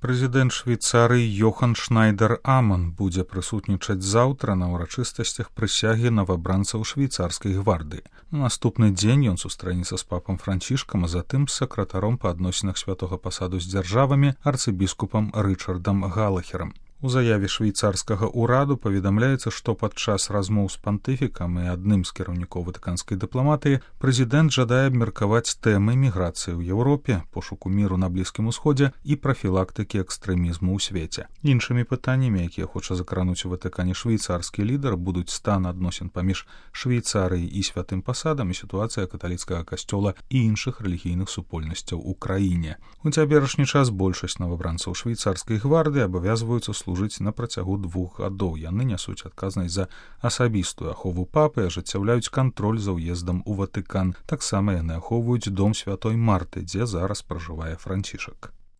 Прэзідэнт Швейцарыі Йохан Шнайдер-Аман будзе прысутнічаць заўтра на ўрачыстасцях прысягі новабранцаў швейцарскай гвардыі. На наступны дзень ён сустрэнецца з папам Францішкам, а затым з сакратаром па адносінах святога пасаду з дзяржавамі арцыбіскупам Рычардам Галахерам. У заяве швейцарскага ўраду паведамляецца, што падчас размоў з пантыфікам і адным з кіраўнікоў ватыканскай дыпламатыі прэзідэнт жадае абмеркаваць тэмы міграцыі ў Еўропе, пошуку міру на Блізкім Усходзе і прафілактыкі экстрэмізму ў свеце. Іншымі пытаннямі, якія хоча закрануць у Ватыкане швейцарскі лідар, будуць стан адносін паміж Швейцарыяй і святым пасадам і сітуацыя каталіцкага касцёла і іншых рэлігійных супольнасцяў у краіне. У цяперашні час большасць новабранцаў швейцарскай гвардыі абавязваюцца служыць на працягу 2 гадоў. Яны нясуць адказнасць за асабістую ахову папы, ажыццяўляюць кантроль за ўездам у Ватыкан. Таксама яны ахоўваюць дом святой Марты, дзе зараз пражывае Францішак.